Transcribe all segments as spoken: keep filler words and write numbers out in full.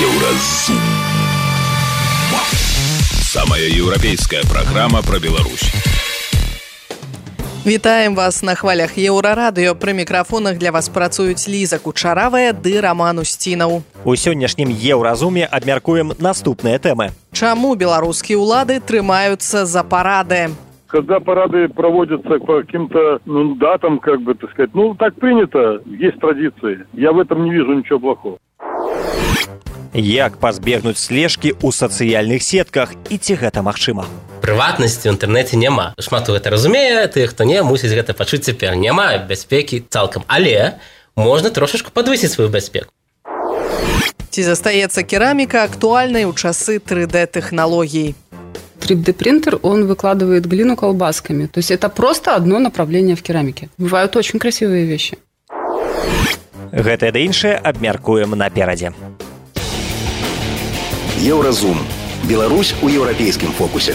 Еўразум. Самая еўрапейская праграма пра Беларусь. Вітаем вас на хвалях Еўрарадыё. Пры мікрафонах для вас працуюць Ліза Кучаравая ды Роман Устінаў. У сённяшнім Еўразуме абмяркуем наступныя тэмы. Чаму беларускія ўлады трымаюцца за парады? Когда парады проводятся по каким-то ну, датам, как бы, так сказать, ну, так принято, есть традиции. Я в этом не вижу ничего плохого. Як пазбегнуць слежкі ў сацыяльных сетках і ці гэта магчыма? Прыватнасці ў інтэрнэце няма. Шмат хто гэта разумее, тых, хто не, мусіць гэта пачуць цяпер. Няма бяспекі цалкам, але можна трошачку падвысіць сваю бяспеку. Ці застаецца кераміка актуальнай у часы три дэ тэхнологий? три дэ принтер, он выкладывает глину колбасками. То есть это просто одно направление в керамике. Бывают очень красивые вещи. Гэтае да іншае абмяркуем наперадзе. Еўразум. Беларусь у еўрапейскім фокусе.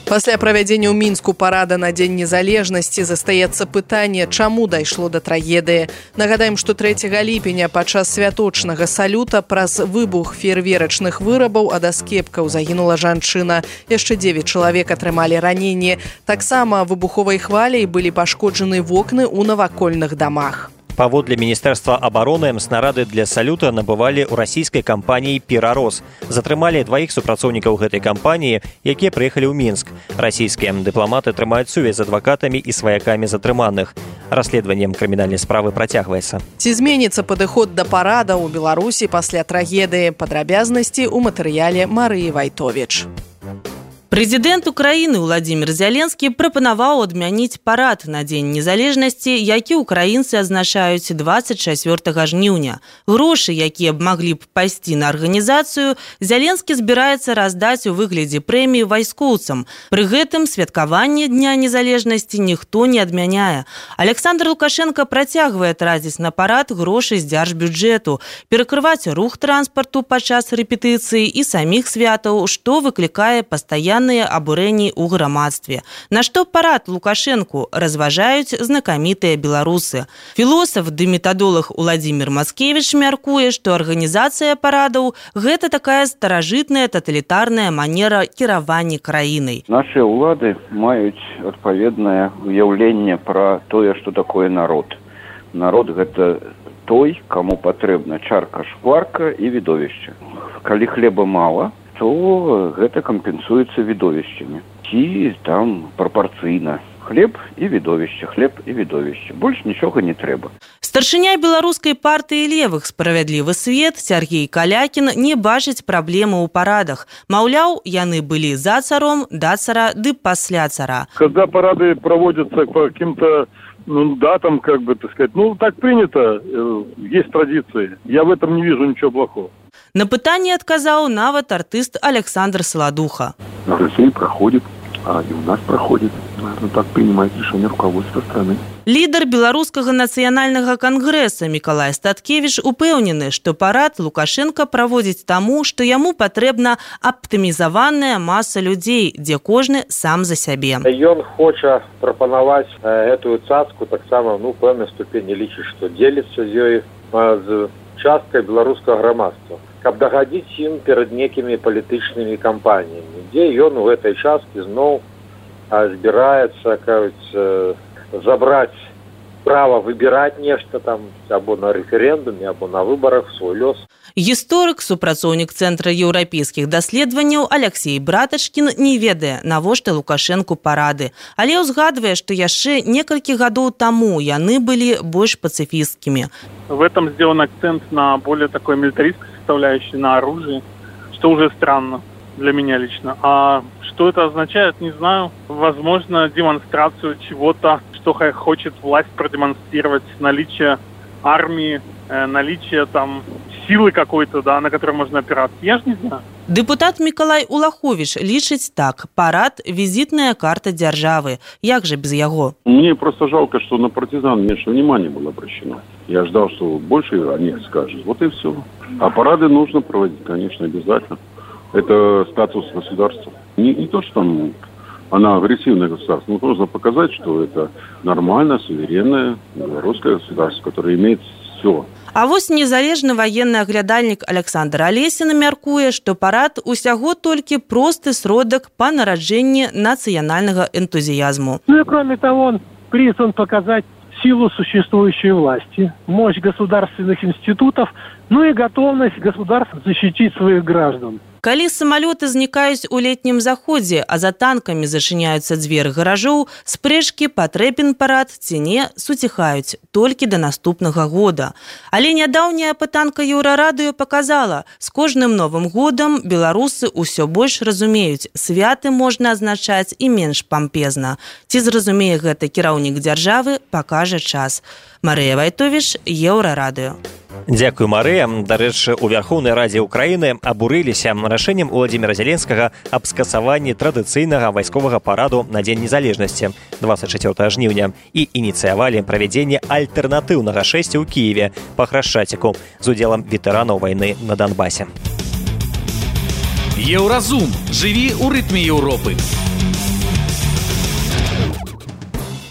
Пасля правядзення ў Мінску парада на Дзень незалежнасці застаецца пытанне, чаму дайшло да трагедыі. Нагадаем, што трэцяга ліпеня падчас святочнага салюта праз выбух феерверачных вырабаў ад аскепкаў загінула жанчына. Яшчэ дзевяць чалавек атрымалі раненні. Таксама выбуховай хваляй былі пашкоджаны вокны ў навакольных дамах. Паводле Міністэрства абароны снарады для салюта набывалі ў расійскай кампаніі «Перарос». Затрымалі дваіх супрацоўнікаў гэтай кампаніі, якія прыехалі ў Мінск. Расійскія дыпламаты трымаюць сувязь з адвакатамі і сваякамі затрыманых. Расследаваннем крымінальнай справы працягваецца. Ці зменіцца падыход да парада ў Беларусі пасля трагедыі? Падрабязнасці ў матэрыяле Марыі Вайтовіч. Прэзідэнт Украіны Владзімір Зяленскі прапанаваў адмяніць парад на Дзень незалежнасці, які ўкраінцы адзначаюць дваццаць чацвёртага жніўня. Грошы, якія б маглі б пайсці на арганізацыю, Зяленскі збіраецца раздаць у выглядзе прэміі вайскоўцам. Пры гэтым святкаванне Дня незалежнасці ніхто не адмяняе. Александр Лукашенко працягвае траціць на парад грошы з дзяржбюджэту, перакрываць рух транспарту падчас рэпетыцыі і саміх святаў, што выклікае пастаянна абурэнні ў грамадстве. На што парад Лукашэнку разважаюць знакамітыя беларусы. Філосаф ды метадолог Уладзімір Маскевіч мяркуе, што арганізацыя парадаў – гэта такая старажытная таталітарная манера кіравання краінай. Нашы ўлады маюць адпаведнае уяўленне пра тое, што такое народ. Народ – гэта той, каму патрэбна чарка шкварка і відовішча. Калі хлеба мала, то гэта кампенсуецца відовішчамі. Ці там прапарцыйна. Хлеб і відовішча, хлеб і відовішча. Больш нічога не трэба. Старшыня беларускай партыі левых «Справядлівы свет» Сергей Калякін не бачыць праблемы ў парадах. Маўляў, яны былі за царом, да цара ды пасля цара. Когда парады проводятся по каким-то ну, датам, как бы, так сказать, ну, так принято, есть традиции. Я в этом не вижу ничего плохого. На пытанне адказаў нават артыст Александр Солодуха. На России проходит, а и у нас проходит. Наверное, так принимает решение руководства страны. Лідар беларускага нацыянальнага кангрэса Мікалай Статкевіч упэўнены, што парад Лукашенко праводзіць таму, што яму патрэбна аптымізаваная маса людзей, дзе кожны сам за сябе. Ён хоча прапанаваць гэтую цацку таксама, ну, пэўнай ступені лічыць, што дзеліцца з ёй з часткай беларускага грамадства, каб дагадзіць ім перад некімі палітычнымі кампаніямі, дзе ён у гэтай часткі зноў збіраецца, кажуць, забраць права выбіраць нешта там або на рэферэндуме, або на выбарах свой лёс. Гісторык, супрацоўнік Цэнтра еўрапейскіх даследаванняў Алексей Братачкін не ведае, навошта Лукашэнку парады, але ўзгадвае, што яшчэ некалькі гадоў таму яны былі больш пацыфісткімі. В этом сделан акцент на более такой милитаристской составляющей, на оружии, что уже странно для меня лично. А что это означает, не знаю. Возможно, демонстрацию чего-то, что хочет власть продемонстрировать, наличие армии, наличие там силы какой-то, да, на которой можно опираться. Я ж не знаю. Дэпутат Мікалай Улаховіч лічыць так: парад – визитная карта державы. Як же без яго? Мне просто жалко, что на партизан меньше внимания было обращено. Я ждал, что больше о них скажут. Вот и все. А парады нужно проводить, конечно, обязательно. Это статус государства. Не, не то, что там она агрессивное государство, но нужно показать, что это нормальное, суверенное белорусское государство, которое имеет все. А вось незалежны ваенны аглядальнік Александр Алесін мяркуе, што парад усяго толькі просты сродак па нараджэнні нацыянальнага энтузіязму. Ну и кроме того, он призван показать силу существующей власти, мощь государственных институтов, ну и готовность государств защитить своих граждан. Калі самалёты знікаюць у летнім заходзе, а за танкамі зачыняюцца дзверы гаражоў, спрэчкі, патрэбен парад ці не, суціхаюць толькі да наступнага года. Але нядаўняя пытанка Еўрарадыё паказала, з кожным новым годам беларусы ўсё больш разумеюць, святы можна азначаць і менш пампезна. Ці зразумее гэта кіраўнік дзяржавы, пакажа час. Марыя Вайтовіш, Еўрарадыё. Дзякую, Марыя. Дарэчы, у Вярхоўнай Радзе Ўкраіны абурыліся рашэннем Уладзіміра Зяленскага аб скасаванні традыцыйнага вайсковага параду на Дзень незалежнасці двадцать чацвёртага жніўня і ініцыявалі правядзенне альтэрнатыўнага шэсця ў Кіеве па Храшчаціку з удзелам ветэранаў вайны на Донбасе. Еўразум. Жыві ў рытме Еўропы.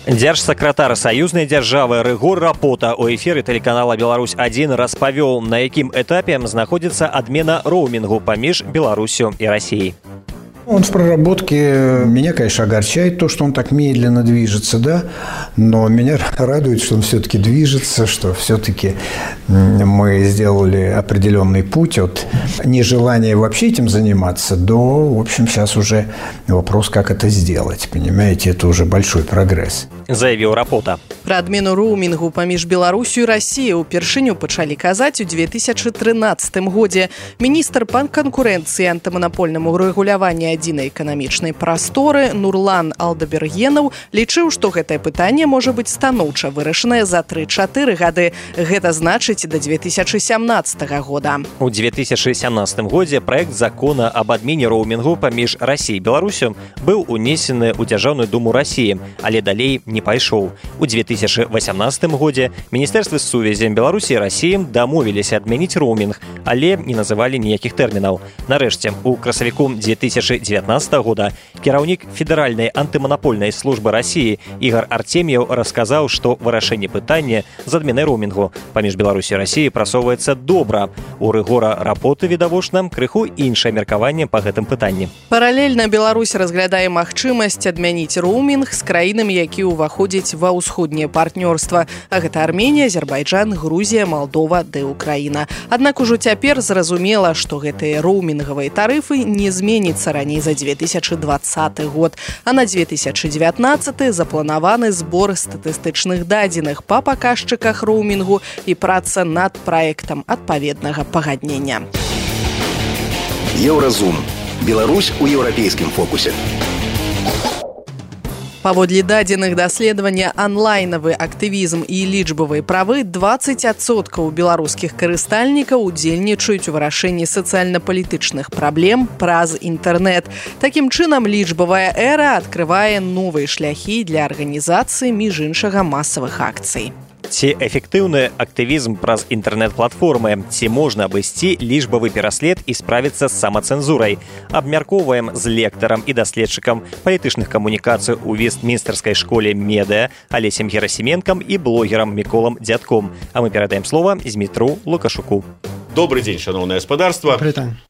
Дзяржсакратар саюзнай дзяржавы Рыгор Рапота у эфіры тэлеканала «Беларусь адзін» распавёў, на якім этапе знаходзіцца адмена роумінгу паміж Беларусью и Россией. Он в проработке. Меня, конечно, огорчает то, что он так медленно движется, да, но меня радует, что он все-таки движется, что все-таки мы сделали определенный путь от нежелания вообще этим заниматься до, в общем, сейчас уже вопрос, как это сделать, понимаете, это уже большой прогресс. Заявил Рапота. Пра адмену роумінгу паміж Беларусью і Расіяй упершыню пачалі казаць у две тысячи тринадцатым годзе. Міністр па канкурэнцыі антыманапольнаму рэгуляванню адзінай эканамічнай прасторы Нурлан Алдабергенаў лічыў, што гэтае пытанне можа быць станоўча вырашанае за тры-чатыры гады. Гэта значыць да две тысячи сямнадцатага года. У две тысячи сямнадцатым годзе праект закона об адмене роумінгу паміж Расіяй і Беларусю быў унесены ў Дзяржаўную думу Расіі, але далей не пайшоў. У две тысячи восемнадцатым годзе Міністэрствы сувязі Беларусі і Расіі дамовіліся адмяніць роумінг, але не называлі ніякіх тэрмінаў. Нарэшце, у красавіку две тысячи девятнадцатого года кіраўнік федэральнай антыманапольнай службы Расіі Ігор Артем'еў расказаў, што вырашэнне пытання з адменай роумінгу паміж Беларусі і Расіяй прасоўваецца добра. У Рыгора Рапоты, відавочна, крыху іншае меркаванне па гэтым пытанні. Паралельна Беларусь разглядае магчымасць адмяніць роумінг з краінамі, якія ўваходзяць ва ўсходняе партнёрства. А гэта Арменія, Азербайджан, Грузія, Малдова ды Украіна. Аднак ужо цяпер зразумела, што гэтыя роумінгавыя тарыфы не зменяцца раней за две тысячи двадцаты год, а на две тысячи девятнадцаты запланаваны збор статыстычных дадзеных па паказчыках роумінгу і праца над праектам адпаведнага пагаднення. Еўразум. Беларусь у еўрапейскім фокусе. Паводле дадзеных даследавання онлайнавы актывізм і лічбавыя правы двадцать адсоткаў беларускіх карыстальнікаў удзельнічаюць у вырашэнні сацыяльна-палітычных праблем праз інтэрнэт. Такім чынам, лічбавая эра адкрывае новыя шляхі для арганізацыі між іншага масавых акцый. Ці эфектыўны актывізм праз інтэрнэт-платформы, ці можна абысці лічбавы пераслед і справіцца з самацэнзурай. Абмяркоўваем з лектарам і даследчыкам палітычных камунікацый у Вестмінстэрскай школе медыа Алесем Герасименкам і блогерам Міколам Дзядком. А мы перадаем слова Змітру Лукашуку. Добрый день, шановное господарство.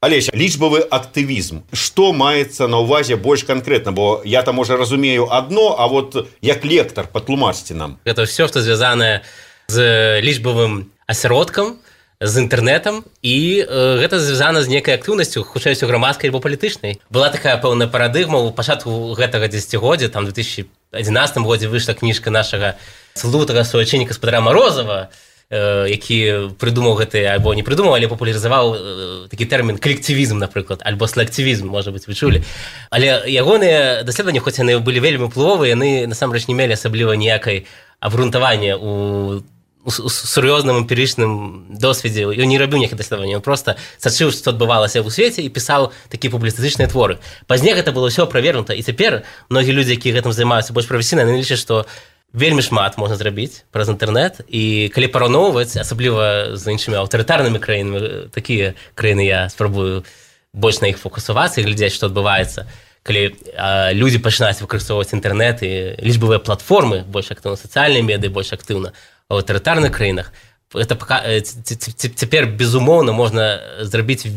Олеся, лічбавы актывізм. Што маецца на ўвазе больш канкрэтна? Бо я там уже разумею одно, а вот як лектар, патлумачце нам. Это все, что звязанае з лічбавым асяродкам, з інтэрнэтам, і э, гэта звязана з некай актыўнасцю, хутчэй усё грамадскай альбо палітычнай. Была такая пэўная парадыгма ў пачатку гэтага дзесяцігоддзя, там у две тысячи одиннадцатым годзе выйшла кніжка нашага слутага суайчынніка гаспадара Морозова, які прыдумаў гэты, альбо не прыдумаў, але папулярызаваў такі тэрмін калектывізм, напрыклад, альбо селектывізм, можа быць, вы чулі. Але ягоныя даследаванні, хоць яны былі вельмі ўплывовыя, яны насамрэч не мелі асабліва ніякай абгрунтавання у у сур'ёзным эмпірычным досведзе. Ён не рабіў ніякіх даследаванняў, ён проста сачыў, што адбывалася ў свеце, і пісаў такія публіцыстычныя творы. Пазней гэта было ўсё правернута, і цяпер многія людзі, якія гэтым займаюцца больш прафесійна, яны лічаць, што вельмі шмат можна зрабіць праз інтэрнэт, і калі параўноўваць, асабліва з іншымі аўтарытарнымі краінамі, такія краіны я спрабую больш на іх фокусавацца і глядзець, што адбываецца, калі а, людзі пачынаюць выкарыстоўваць інтэрнэт і лічбавыя платформы больш актыўна, сацыяльныя медыі больш актыўна, у аўтарытарных краінах это цяпер безумоўна можна зрабіць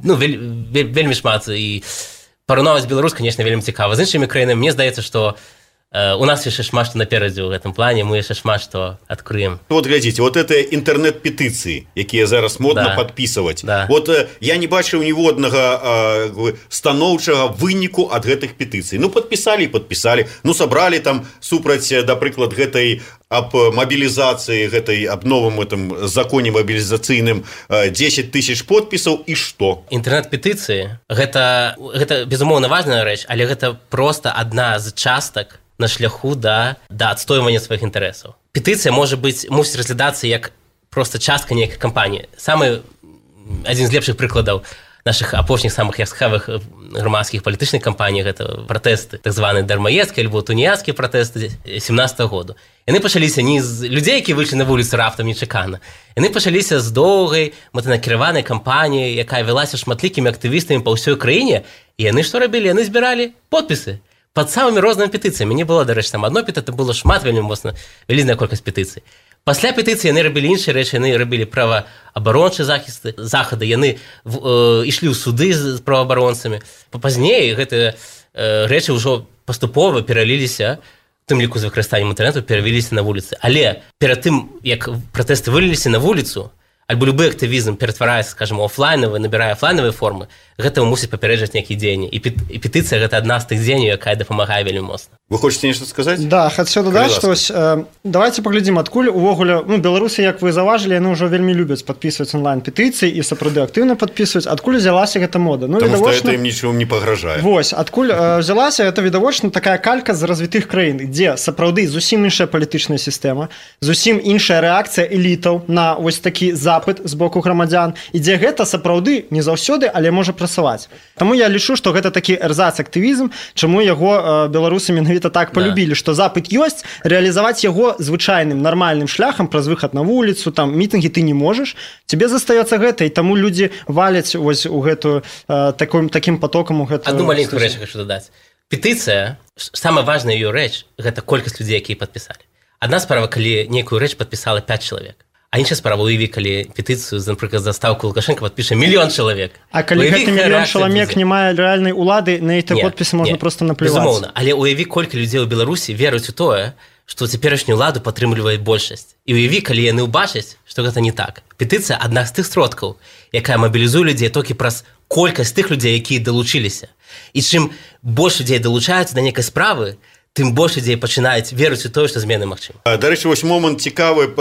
ну вельмі шмат і параўнаваць Беларусь, конечно, вельмі цікава з іншымі краінамі. Мне здаецца, што у нас яшчэ шмат што наперадзе ў гэтым плане, мы яшчэ шмат што адкрыем. Вот глядзіце, вот это інтэрнэт-петыцыі, якія зараз модна да. падпісваць. Да. Вот я не бачыў ніводнага станоўчага выніку ад гэтых петыцый. Ну падпісалі і падпісалі, ну сабралі там супраць, да прыклад, гэтай аб мабілізацыі, гэтай аб новым этом законе мабілізацыйным дзесяць тысяч подпісаў і што? Інтэрнэт-петыцыі гэта, гэта безумоўна важная рэч, але гэта проста адна з частак на шляху да, да адстойвання сваіх інтарэсаў. Петыцыя можа быць, мусіць разглядацца як проста частка нейкай кампаніі. Самы адзін з лепшых прыкладаў наших апошніх самых яскравых грамадскіх палітычных кампаній гэта пратэсты, так званыя дармаедскія альбо туніяцкія пратэсты семнадцатага году. Яны пачаліся не з людзей, які выйшлі на вуліцу раптам нечакана. Яны пачаліся з доўгай мэтанакіраванай кампаніі, якая вялася шматлікімі актывістамі па ўсёй краіне, і яны што рабілі? Яны збіралі подпісы пад самымі рознымі петыцыямі. Не было, дарэчы, там адно петыцыя, было шмат вельмі моцна, вялізная колькасць петыцый. Пасля петыцыі яны рабілі іншыя рэчы, яны рабілі праваабарончыя захісты, захады, яны э, ішлі ў суды з праваабаронцамі. Пазней гэтыя э, рэчы ўжо паступова пераліліся, у тым ліку з выкарыстаннем інтэрнэту, перавяліся на вуліцы. Але перад тым, як пратэсты выліліся на вуліцу, альбо любы актывізм ператвараецца, скажем, офлайнавы, набірае офлайнавыя формы, гэтага мусіць папярэджаць нейкія дзеянні. І, пет, і петыцыя гэта адна з тых дзеянняў, якая дапамагае вельмі моцна. Вы хочаце нешта сказаць? Да, хацеў дадаць, што ось, э, давайте паглядзім, адкуль увогуле, ну, беларусы, як вы заўважылі, яны ўжо вельмі любяць падпісваць онлайн-петыцыі і сапраўды актыўна падпісваць. Адкуль взялася гэта мода? Ну, Таму відавочна... што гэта ім нічым не пагражае. Вось, адкуль э, взялася, гэта відавочна такая калька з развітых краін, дзе сапраўды зусім іншая палітычная сістэма, зусім іншая рэакцыя элітаў на вось такі запыт з боку грамадзян, і дзе гэта сапраўды не заўсёды, але можа працаваць. Таму я лічу, што гэта такі эрзац-актывізм, чаму яго э, беларусы менавіта так полюбілі, да. Што запыт ёсць, рэалізаваць яго звычайным нармальным шляхам праз выхад на вуліцу, там мітынгі ты не можаш, тебе застаецца гэта, і таму людзі валяць вось у гэтую э, таким, таким потокам у гэтую. Одну маленькую рэч хочу дадаць. Петыцыя, самая важная ее рэч, гэта колькасць людзей, якія падпісалі. Адна справа, калі нейкую рэч падпісала пяць чалавек. А іншая справа, уяві, калі петыцыю, напрыклад, за ставку Лукашенко падпіша мільён чалавек. А калі уяві, гэты мільён чалавек не мае рэальнай улады, на эти подпісы можна проста наплеваць. Безумоўна, але уяві, колькі людзей у Беларусі веруюць у тое, што цяперашнюю уладу падтрымлівае большасць. І уяві, калі яны ўбачаць, што гэта не так. Петыцыя адна з тых сродкаў, якая мабілізуе людзей толькі праз колькасць тых людзей, якія далучыліся. І чым больш людзей далучаюцца да нейкай справы, тым больш людзей пачынаюць верыць у тое, што змены магчымы. Дарэчы, вось момант цікавы,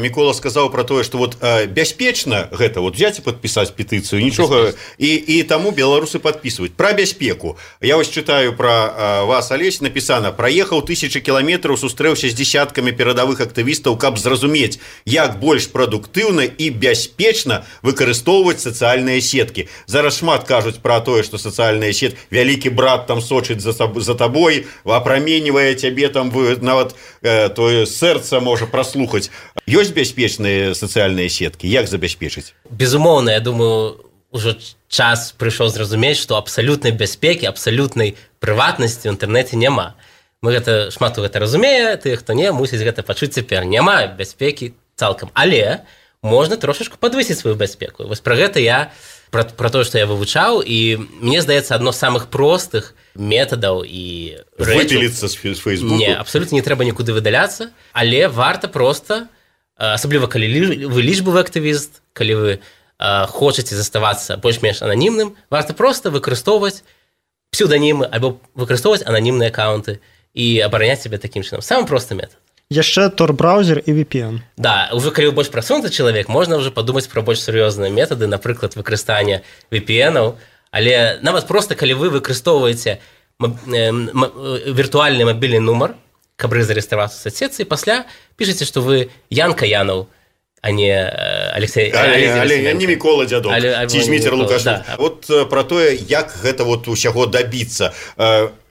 Мікола сказаў пра тое, што вот бяспечна гэта вот взяць і падпісаць петыцыю, нічога, і, і таму беларусы падпісваюць. Пра бяспеку. Я вось чытаю пра вас, Алесь, напісана: праехаў тысячы кіламетраў, сустрэўся з дзесяткамі перадавых актывістаў, каб зразумець, як больш прадуктыўна і бяспечна выкарыстоўваць сацыяльныя сеткі. Зараз шмат кажуць пра тое, што сацыяльныя сеткі, вялікі брат там сочыць за, за табой, апраменьвае цябе там, нават э, тое сэрца можа праслухаць. Ёсць бяспечныя сацыяльныя сеткі? Як забяспечыць? Безумоўна, я думаю, ужо час прыйшоў зразумець, што абсалютнай бяспекі, абсалютнай прыватнасці ў інтэрнэце няма. Мы гэта шмат гэта разумее, ты, хто не, мусіць гэта пачуць цяпер. Няма бяспекі цалкам, але можна трошачку падвысіць сваю бяспеку. Вось пра гэта я, пра, пра тое, што я вывучаў, і мне здаецца, адно з самых простых метадаў і рэчаў. Выпіліцца з Фейсбуку? Не, абсолютно не трэба нікуды выдаляцца, але варта проста, асабліва калі вы лічбавы актывіст, калі вы хочаце заставацца больш-менш ананімным, варта проста выкарыстоўваць псеўданімы або выкарыстоўваць ананімныя аккаунты і абараняць сябе такім чынам. Самы просты метад. Яшчэ Tor-браузер і ви пі эн. Да, уже калі вы больш прасунуты чалавек, можна уже падумаць пра больш сур'ёзныя метады, напрыклад, выкарыстання ви пі энаў. Але нават проста, калі вы выкарыстоўваеце віртуальны мабільны нумар, каб зарэгістравацца ў сацсетцы, пасля пішаце, што вы Янка Янаў, а не Алексей... Але, але не Мікола Дзядок, ці Зміцер Лукашенко. Да. Вот пра тое, як гэта вот усяго дабіцца.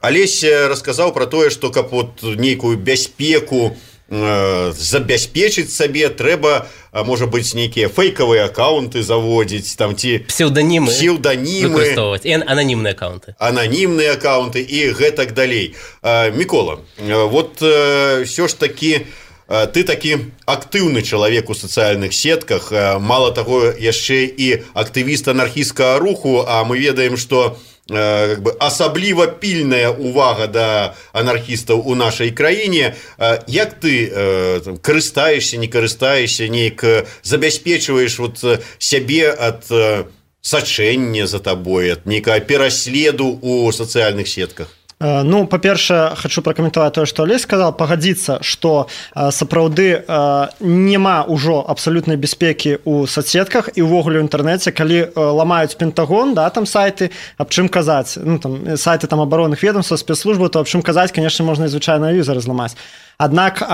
Алесь расказаў пра тое, што каб вот нейкую бяспеку забяспечыць сабе, трэба, можа быць, нейкія фейкавыя аккаунты заводзіць, там ці псеўданімы, псеўданімы выкарыстоўваць, і ананімныя аккаунты. Ананімныя аккаунты і гэтак далей. Мікола, вот ўсё ж такі ты такі актыўны чалавек у сацыяльных сетках, мало таго яшчэ і актывіст анархісцкага руху, а мы ведаем, што как бы асабліва пільная увага да анархістаў у нашай краіне. Як ты карыстаешся, не карыстаешся, неяк забяспечваеш вот сябе ад сачэння за табой, ад нейкага пераследу у сацыяльных сетках? Ну, па-першае, хочу пракаментаваць тое, што Алесь сказал, пагадзіцца, што сапраўды няма ўжо абсалютнай бяспекі ў соцсетках і ўвогуле ў інтэрнэце, калі ламаюць Пентагон, да, там сайты, аб чым казаць, ну, там, сайты там абаронных ведомстваў, спецслужбаў, то аб чым казаць, конечно, можна і звычайныя візары зламаць. Аднак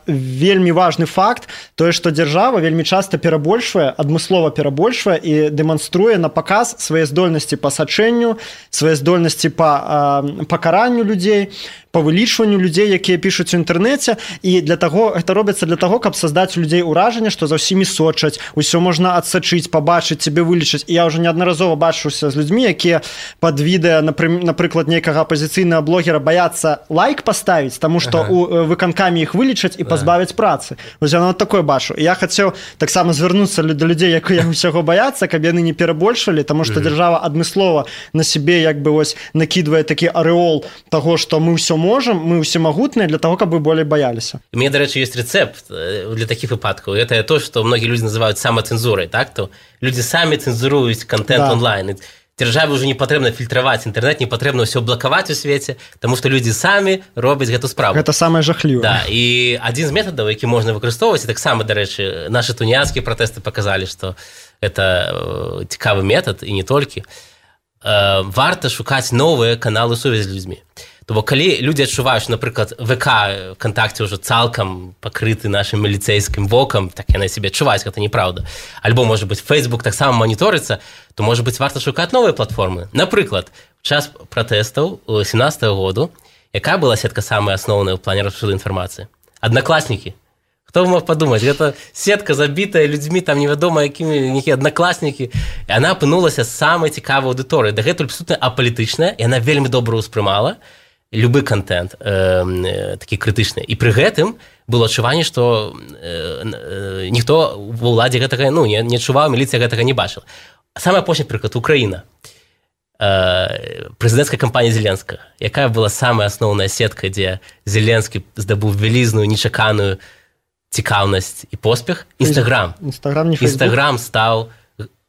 вельмі важны факт тое, што дзяржава вельмі часта перабольшвае, адмыслова перабольшвае і дэманструе на паказ свае здольнасці па сачэнню, свае здольнасці па пакаранню людзей, па вылічванню людзей, якія пішуць у інтэрнэце, і для таго гэта робіцца для таго, каб создаць у людзей уражанне, што за ўсімі сочаць, усё можна адсачыць, пабачыць, цябе вылічыць. І я ўжо неаднаразова бачыўся з людзьмі, якія пад відэа, напрыклад, нейкага апазіцыйнага блогера баяцца лайк паставіць, таму што ага. у выканкамі іх вылічаць і пазбавяць працы. Вось яно такое бачу. І я хацеў таксама звярнуцца да людзей, якія ўсяго баяцца, каб яны не перабольшвалі, таму што дзяржава адмыслова на сябе як бы вось накідвае такі арэол таго, што мы ўсё можем, мы усемагутныя для того, каб вы болей баяліся. У меня, до речі, есть рецепт для таких выпадков. Это то, что многие люди называют самоцензурой, так? То люди сами цензуруют контент да. онлайн. Державе уже не патрэбна фільтраваць інтэрнэт, не патрэбна ўсё блакаваць у свеце, таму што людзі самі робяць гэту справу. Гэта самае жахлівае. Да, і адзін з метадаў, які можна выкарыстоўваць, таксама, дарэчы, нашы туніянскія пратэсты паказалі, што это цікавы метад, і не толькі. Варта шукаць новыя каналы сувязі з людзьмі. То бок, калі людзі адчуваюць, напрыклад, ВК ВКонтакце ўжо цалкам пакрыты нашым міліцэйскім вокам, так яны сябе адчуваюць, гэта неправда. Альбо, можа быць, Фейсбук таксама маніторыцца, то, можа быць, варта шукаць новыя платформы. Напрыклад, у час пратэстаў у сямнадцатага году, якая была сетка самая асноўная ў плане распоширу інфармацыі? Аднакласнікі. Хто мог падумаць? Гэта сетка забітая людзьмі, там невядома якімі нейкія аднакласнікі. І яна апынулася самай цікавай аўдыторыяй. Дагэтуль абсалютна апалітычная, і яна вельмі добра ўспрымала любы контент э, такі крытычны. І пры гэтым было адчуванне, што э, э, ніхто ва ўладзе гэтага ну, не, не адчуваў, міліцыя гэтага не бачыла. Самы апошні прыклад, Украіна. Э, прэзідэнцкая кампанія Зеленскага. Якая была самая асноўная сетка, дзе Зеленскі здабыў вялізную, нечаканую цікаўнасць і поспех? Інстаграм. Інстаграм, не Фейсбук. Інстаграм стаў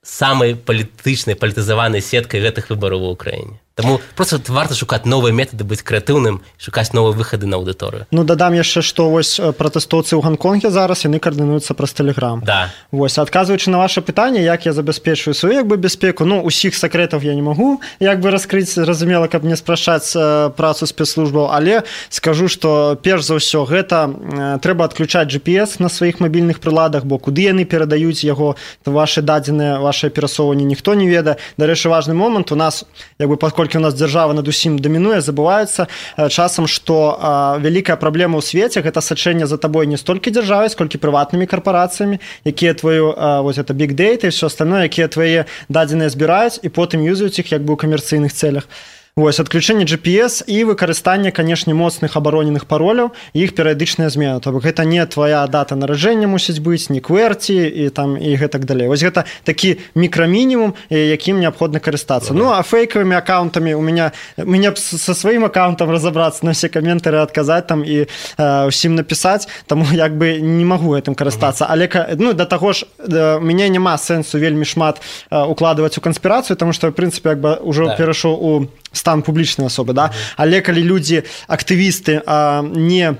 самай палітычнай, палітызаванай сеткай гэтых выбараў у Украіне. Таму просто варта шукаць новыя метады, быць крэатыўным, шукаць новыя выхады на аўдыторыю. Ну, дадам яшчэ, што вось пратэстоўцы ў Ганконге зараз, яны каардынуюцца праз Тэлеграм. Да. Вось, адказваючы на ваше пытанне, як я забяспечваю сваю як бы бяспеку, ну, усіх сакрэтаў я не магу як бы раскрыць, разумела, каб не спрашаць працу спецслужбаў, але скажу, што перш за ўсё гэта трэба адключаць джи пі эс на сваіх мабільных прыладах, бо куды яны перадаюць яго, вашы дадзеныя, вашае перасоўванне ніхто не ведае. Дарэчы, важны момант, у нас як бы паколькі у нас дзяржава над усім дамінуе, забываецца часам, што а, вялікая праблема ў свеце гэта сачэнне за табой не столькі дзяржавай, сколькі прыватнымі карпорацыямі, якія твою а, вось это big data і все остальное, якія твае дадзеныя збіраюць і потым юзаюць іх як бы ў камерцыйных цэлях. Вось, адключэнне джи пі эс і выкарыстанне, канешне, моцных абароненых пароляў і іх перыядычная змена. То бок гэта не твоя дата нараджэння мусіць быць, не кверці і там і гэтак далей. Вось гэта такі мікрамінімум, якім неабходна карыстацца. Ну, а фейкавымі аккаунтамі у меня мне со сваім аккаунтам разабрацца, на все каментары адказаць там і э, усім напісаць, таму як бы не магу гэтым карыстацца. Але ну, да таго ж да, мяне няма сэнсу вельмі шмат э, укладваць у канспірацыю, таму што в прынцыпе як бы ўжо да. перайшоў у стан публічнай асобы, да? Але калі людзі, актывісты, а, не,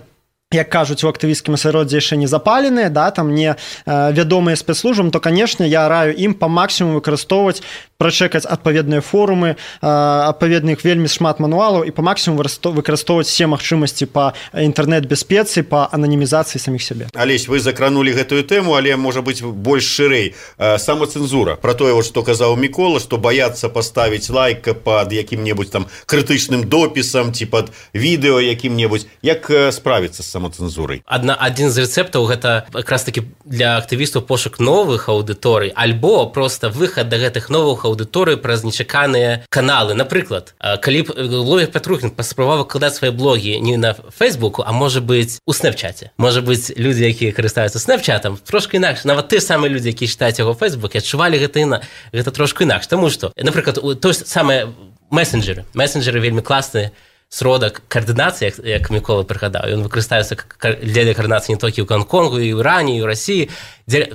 як кажуць, у актывісцкім асяроддзі яшчэ не запаленыя, да, там не а, вядомыя спецслужбам, то, канешне, я раю ім па максімуму выкарыстоўваць, прачэкаць адпаведныя форумы, а, адпаведных вельмі шмат мануалаў і па максімуму выкарыстоўваць все магчымасці па інтэрнэт-бяспецы, па ананімізацыі саміх сябе. Алесь, вы закранулі гэтую тэму, але, можа быць, больш шырэй. Самацэнзура. Пра тое, што казаў Мікола, што баяцца паставіць лайк пад якім-небудзь там крытычным допісам ці пад відэо якім-небудзь. Як справіцца з самацэнзурай? Адна, адзін з рэцэптаў гэта якраз такі для актывістаў пошук новых аўдыторый, альбо проста выхад да гэтых новых аўдыторый аўдыторыю праз нечаканыя каналы. Напрыклад, калі б блогер Пятрухін паспрабаваў выкладаць свае блогі не на Фейсбуку, а можа быць у Снэпчаце. Можа быць, людзі, якія карыстаюцца Снэпчатам, трошки інакш. Нават тыя самыя людзі, якія чытаюць яго ў Фейсбуке, адчувалі гэта і на гэта трошку інакш. Таму што, напрыклад, то самае месенджеры. Месенджеры вельмі класныя сродак каардынацыі, як, як Мікола прыгадаў. Ён выкарыстаюцца для каардынацыі не толькі ў Гонконгу, і ў Іране, і ў Расіі,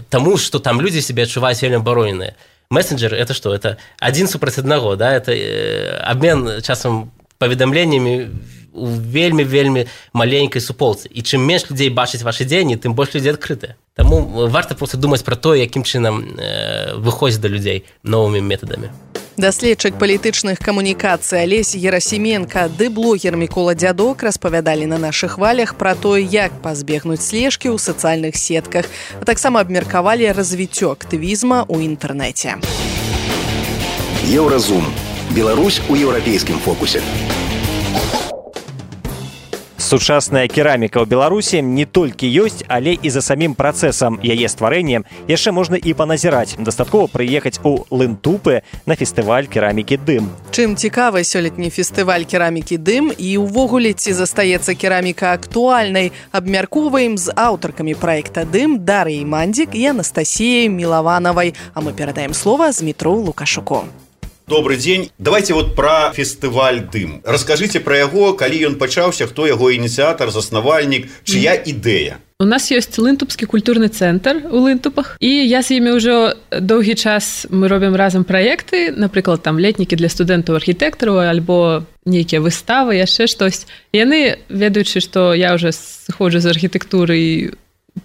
таму што там людзі сябе адчуваюць вельмі абароненыя. Месенджер — это што? Это адзін супраць аднаго, да? Это э, абмен часам паведамленнямі у вельмі-вельмі маленькай суполцы. І чым менш людзей бачыць вашы дзеянні, тым больш людзей адкрытыя. Таму варта проста думаць пра тое, якім чынам э, выходзіць да людзей новымі метадамі. Даследчык палітычных камунікацый Алесь Герасименко ды блогер Мікола Дзядок распавядалі на нашых хвалях пра тое, як пазбегнуць слежкі ў сацыяльных сетках, а таксама абмеркавалі развіццё актывізма ў інтэрнэце. Еўразум. Беларусь у еўрапейскім фокусе. Сучасная кераміка ў Беларусі не толькі ёсць, але і за самім працэсам яе стварэння яшчэ можна і паназіраць. Дастаткова прыехаць у Лынтупы на фестываль керамікі «Дым». Чым цікавы сёлетні фестываль керамікі «Дым» і ўвогуле ці застаецца кераміка актуальнай, абмяркоўваем з аўтаркамі праекта «Дым» Дар'яй Мандзік і Анастасіяй Мілаванавай. А мы перадаем слова Змітру Лукашуку. Добрый день. Давайте вот про фестываль «Дым». Расскажите про яго, калі ён пачаўся, хто яго ініцыятар, заснавальнік, чыя ідэя? У нас ёсць Лынтупскі культурны цэнтр у Лынтупах, і я з імі ўжо доўгі час мы робім разам праекты, напрыклад, там летнікі для студэнтаў-архітэктараў альбо нейкія выставы, яшчэ штось. Яны, ведаючы, што я ўжо сыходжу з архітэктуры і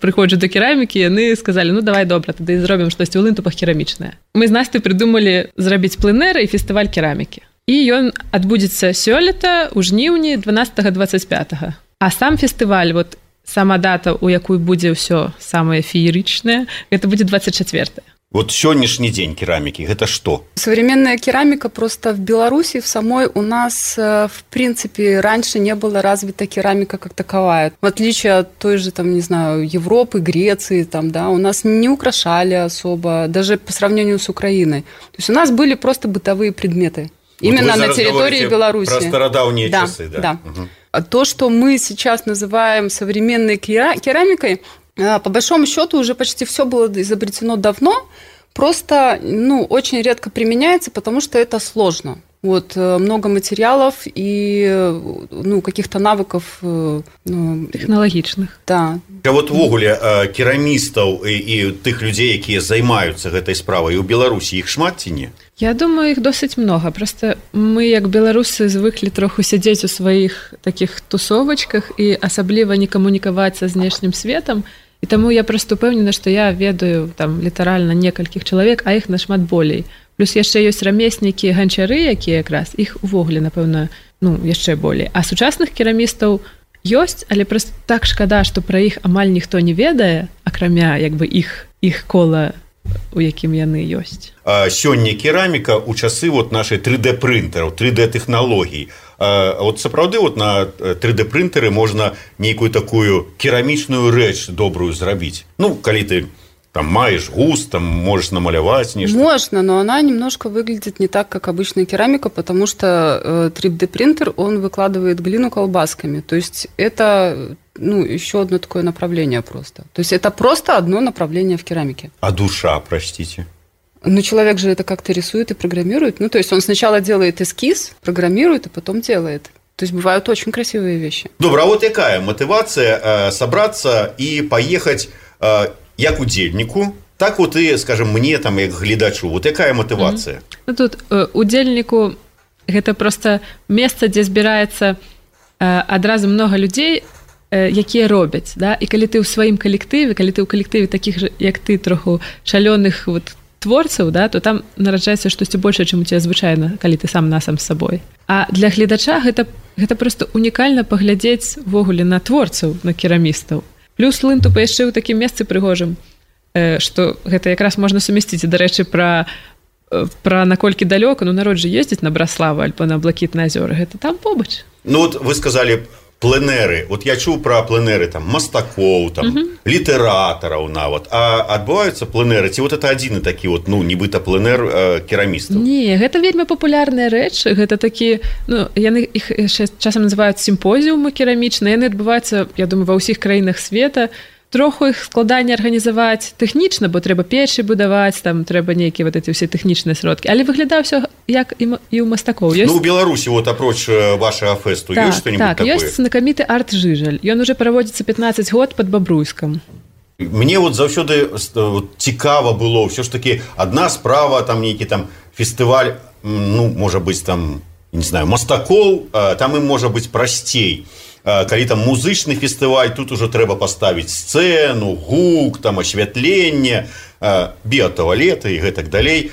прыходжу да керамікі, яны сказалі, ну давай добра, тады зробім штосьці ў Лынтупах керамічнае. Мы з Настай прыдумалі зрабіць пленэр і фестываль керамікі. І ён адбудзецца сёлета ў жніўні дванаццатага дваццаць пятага. А сам фестываль, вот сама дата, у якую будзе ўсё самае феерычнае, гэта будзе двадцать четвёртое. Вот сегодняшний день керамики, это что? Современная керамика просто в Беларуси, в самой у нас, в принципе, раньше не была развита керамика как таковая. В отличие от той же, там, не знаю, Европы, Греции, там, да, у нас не украшали особо, даже по сравнению с Украиной. То есть у нас были просто бытовые предметы. Именно вот на территории Беларуси. Про стародавние да, часы, да. да. Угу. То, что мы сейчас называем современной керамикой, по большому счету уже почти все было изобретено давно, просто ну, очень редко применяется, потому что это сложно. Вот, много материалов и ну, каких-то навыков ну, технологичных. Да. А вот ввогуле керамістаў і, і тых людзей, якія займаюцца гэтай справай у Беларусі, іх шмат ці не? Я думаю, іх досыць много. Просто мы, як беларусы, звыклі троху сядзець у сваіх такіх тусовачках і асабліва не камунікаваць са знешнім светам. І таму я проста упэўнена, што я ведаю там літаральна некалькіх чалавек, а іх нашмат болей. Плюс яшчэ ёсць рамеснікі, ганчары, якія якраз іх увогуле, напэўна, ну, яшчэ болей. А сучасных керамістаў ёсць, але проста так шкада, што пра іх амаль ніхто не ведае, акрамя як бы іх іх кола, у якім яны ёсць. А сёння кераміка ў часы вот нашай три дэ прынтэраў, три дэ тэхналогій. А вот сапраўды вот на три дэ прынтэры можна нейкую такую керамічную рэч добрую зрабіць. Ну, калі ты там маешь густ, там можешь намалевать нечто. Можно, но она немножко выглядит не так, как обычная керамика, потому что три дэ принтер, он выкладывает глину колбасками. То есть это ну, еще одно такое направление просто. То есть это просто одно направление в керамике. А душа, простите? Ну, человек же это как-то рисует и программирует. Ну, то есть он сначала делает эскиз, программирует, а потом делает. То есть бывают очень красивые вещи. Добро, а вот какая мотивация э, собраться и поехать э, як удзельніку, так вот и, скажем, мне там як гледачу. Вот якая мотивация? Mm-hmm. Ну, тут э, удзельніку гэта просто месца, дзе збіраецца э, адразу много людзей, э, якія робяць, да? І калі ты ў сваім калектыве, калі ты ў калектыве такіх же, як ты, троху шалёных вот творцаў, да, то там нараджаецца штосьці большее, чым у цябе звычайна, калі ты сам насам з сабой. А для гледача гэта, гэта просто унікальна паглядзець ввогуле на творцаў, на керамістаў. Плюс Лынтупы яшчэ ў такім месцы прыгожым, э, што гэта якраз можна сумясціць. Дарэчы, пра, э, пра наколькі далёка, ну народ жа ездзіць на Браславу альбо на Блакітныя азёры, гэта там побач. Ну вот вы сказали пленэры, вот я чуў пра пленэры там мастакоў, там угу. літаратараў нават, а адбываюцца пленэры ці вот это адзіны такі вот, ну нібыта пленэр э, керамістаў? Не, гэта вельмі папулярная рэч, гэта такі, ну яны іх часам называюць сімпозіумы керамічныя, яны адбываюцца, я думаю, ва ўсіх краінах света. Троху іх складанне арганізаваць тэхнічна, бо трэба печы будаваць, там трэба нейкія вот эти ўсе тэхнічныя сродкі, але выглядае ўсё як і ў мастакоў. Ёсць... Ну, у Беларусі, вот апроч вашага фэсту, так, ёсць што-нибудь так, такое? Так, ёсць знакаміты арт-жыжаль. Ён уже праводзіцца пятнаццаць год пад Бабруйскам. Мне вот заўсёды вот, цікава было, ўсё ж такі адна справа, там нейкі там фестываль, ну, можа быць там, не знаю, мастакоў, там ім можа быць прасцей. Калі там музычны фестываль, тут уже трэба паставіць сцэну, гук, там асвятленне, біятуалеты і гэтак далей.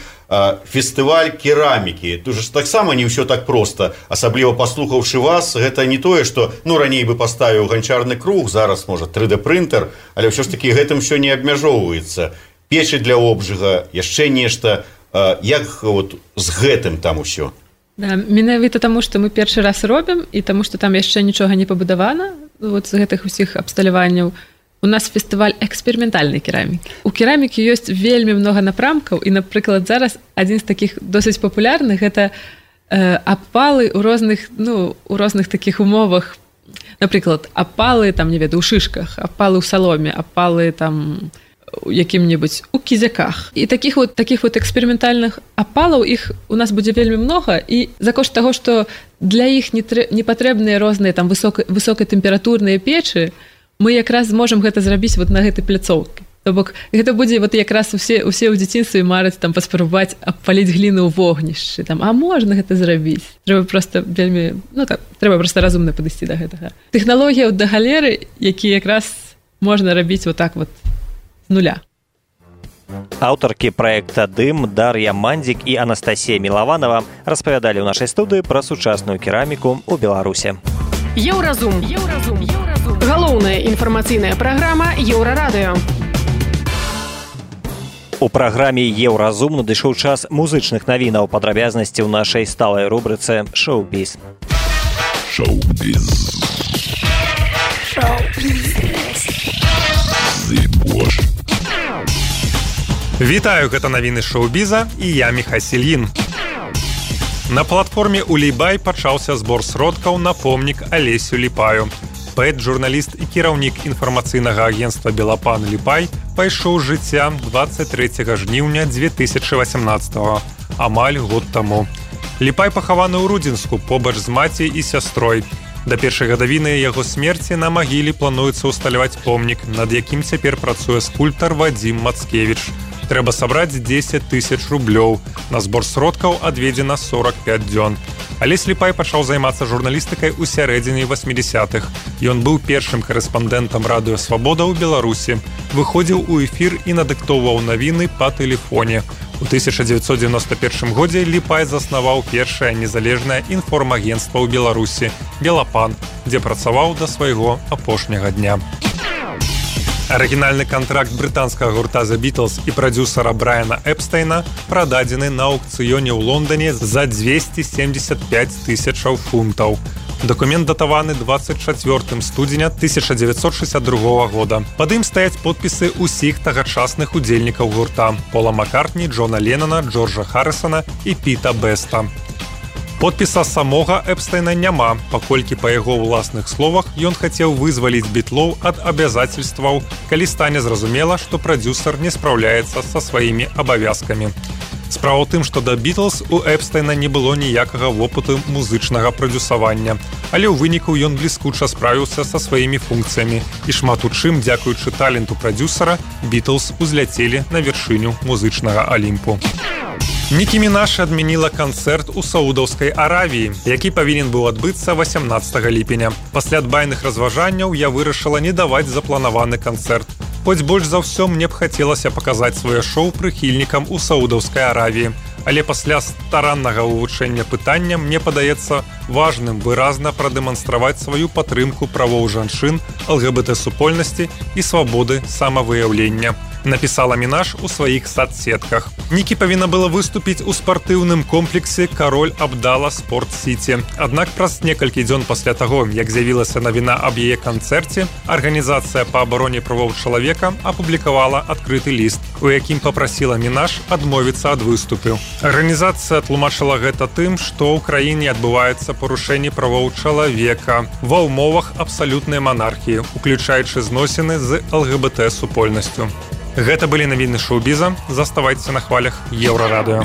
Фестываль керамікі. Тут же таксама не ўсё так проста. Асабліва паслухаўшы вас, гэта не тое, што ну раней бы паставіў ганчарны круг, зараз можа тры дэ прынтер, але ўсё ж такі гэтым ўсё не абмяжоўваецца. Печы для обжыга, яшчэ нешта. Як вот з гэтым там усё? Да, менавіта таму, што мы першы раз робім і таму, што там яшчэ нічога не пабудавана вот з гэтых усіх абсталяванняў. У нас фестываль эксперыментальнай керамікі. У керамікі ёсць вельмі многа напрамкаў і, напрыклад, зараз адзін з такіх досыць папулярных гэта э, апалы ў розных, ну, у розных такіх умовах. Напрыклад, апалы там, не ведаю, у шышках, апалы ў саломе, апалы там у якім-небудзь у кізяках. І такіх вот такіх вот эксперыментальных апалаў іх у нас будзе вельмі многа, і за кошт таго, што для іх не, трэ... не патрэбныя розныя там высока... высокатэмпературныя печы, мы якраз зможам гэта зрабіць вот на гэтай пляцоўкі. То бок гэта будзе вот якраз усе усе ў дзяцінстве мараць там паспрабаваць абпаліць гліну ў вогнішчы, там а можна гэта зрабіць. Трэба проста вельмі, ну так, трэба проста разумна падысці да гэтага. Тэхналогія да галеры, які якраз можна рабіць вот так вот нуля. Аўтаркі праекта «Дым» Дар'я Мандзік і Анастасія Мілаванова распавядалі ў нашай студыі пра сучасную кераміку ў Беларуси. Еўразум. Еўразум. Еўразум. Галоўная інфармацыйная праграма Еўрарадыё. У праграме «Еўразум» надышоў час музычных навінаў, падрабязнасці ў нашай сталай рубрыцы «Шоу-біз». Шоу-біз. Шоу-біз. Вітаю, гэта навіны шоу-біза і я Міхась Ільін. На платформе «Улейбай» пачаўся збор сродкаў на помнік Алесю Ліпаю. Паэт, журналіст і кіраўнік інфармацыйнага агенцтва «Белапан» Ліпай пайшоў з жыцця дваццаць трэцяга жніўня дзве тысячы васямнаццатага, амаль год таму. Ліпай пахаваны ў Рудзінску побач з маці і сястрой. Да першай гадавіны яго смерці на магіле плануецца ўсталяваць помнік, над якім цяпер працуе скульптар Вадзім Мацкевіч. Трэба сабраць дзесяць тысяч рублёў. На збор сродкаў адведзена сорак пяць дзён. Алесь Ліпай пачаў займацца журналістыкай у сярэдзіне васьмідзясятых. Ён быў першым карэспандэнтам радыё «Свабода» ў Беларусі. Выходзіў у эфір і надыктоўваў навіны па тэлефоне. У тысяча дзевяцьсот дзевяноста першым годзе Ліпай заснаваў першае незалежнае інформагенцтва ў Беларусі «Белапан», дзе працаваў да свайго апошняга дня. Арыгінальны кантракт брытанскага гурта The Beatles і прадзюсара Брайана Эпстейна прададзены на аўкцыёне ў Лондоне за дзвесце семдзесят пяць тысячаў фунтаў. Дакумент датаваны дваццаць чацвёртым студзеня тысяча дзевяцьсот шэсцьдзясят другога года. Пад ім стаяць подпісы ўсіх тагачасных удзельнікаў гурта: Пола Маккартні, Джона Леннона, Джорджа Харрісона і Піта Беста. Подпіса самога Эпстейна няма, паколькі па яго ўласных словах ён хацеў вызваліць бітлоў ад абавязацельстваў, калі стане зразумела, што прадзюсар не спраўляецца са сваімі абавязкамі. Справа ў тым, што да Бітлз у Эпстейна не было ніякага вопыту музычнага прадзюсавання, але ў выніку ён бліскуча справіўся са сваімі функцыямі, і шмат у чым, дзякуючы таленту прадзюсара, Бітлз узляцелі на вяршыню музычнага алімпу. Нікі Мінаш адмяніла канцэрт у Саудаўскай Аравіі, які павінен быў адбыцца васямнаццатага ліпеня. Пасля адбайных разважанняў я вырашыла не даваць запланаваны канцэрт. Хоць больш за ўсё мне б хацелася паказаць сваё шоу прыхільнікам у Саудаўскай Аравіі. Але пасля стараннага вывучэння пытання мне падаецца важным выразна прадэманстраваць сваю падтрымку правоў жанчын, эл гэ бэ тэ-супольнасці і свабоды самавыяўлення. напісала Мінаш у сваіх садсетках. Нікі павінна была выступіць у спартыўным комплексе «Кароль Абдала Спорт-Сіці». Аднак праз некалькі дзён пасля таго, як з'явілася навіна аб яе канцэрце, арганізацыя па абароне правоў чалавека апублікавала адкрыты ліст, у якім папрасіла Мінаш адмовіцца ад выступу. Арганізацыя тлумачыла гэта тым, што ў краіне адбываецца парушэнне правоў чалавека ва ўмовах абсалютнай манархіі, уключаючы зносіны з ЛГБТ-супольнасцю. Гэта былі навіны шоу-біза. Заставайцеся на хвалях Еўрарадыё.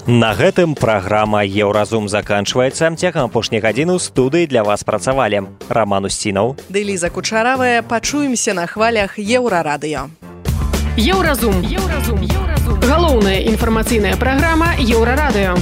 На гэтым праграма «Еўразум» заканчваецца. Цягам апошняй гадзіны ў студыі для вас працавалі Роман Устінаў ды Ліза Кучаравая. Пачуемся на хвалях Еўрарадыё. Еўразум. Еўразум. Галоўная інфармацыйная праграма Еўрарадыё.